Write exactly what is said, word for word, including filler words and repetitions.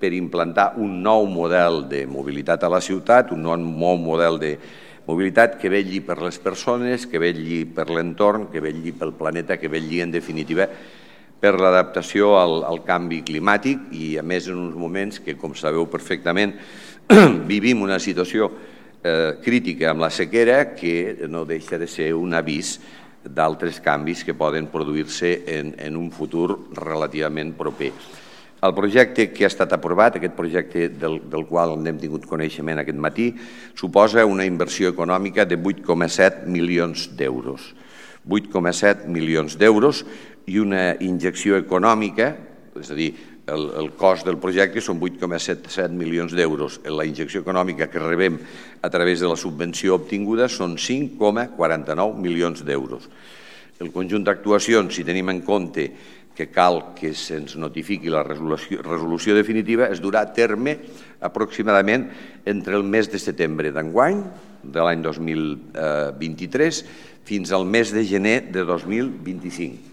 per implantar un nou model de mobilitat a la ciutat, un nou model de mobilitat que vetlli per les persones, que vetlli per l'entorn, que vetlli pel planeta, que vetlli, en definitiva, per l'adaptació al canvi climàtic i, a més, en uns moments que, com sabeu perfectament, vivim una situació crítica amb la sequera que no deixa de ser un avís d'altres canvis que poden produir-se en un futur relativament proper. El projecte que ha estat aprovat, aquest projecte del qual n'hem tingut coneixement aquest matí, suposa una inversió econòmica de vuit coma set milions d'euros. vuit coma set milions d'euros i una injecció econòmica, és a dir, el cost del projecte són vuit coma set milions d'euros. La injecció econòmica que rebem a través de la subvenció obtinguda són cinc coma quaranta-nou milions d'euros. El conjunt d'actuacions, si tenim en compte que cal que se'ns notifiqui la resolució definitiva, es durà a terme aproximadament entre el mes de setembre d'enguany, de l'any dos mil vint-i-tres, fins al mes de gener de dos mil vint-i-cinc.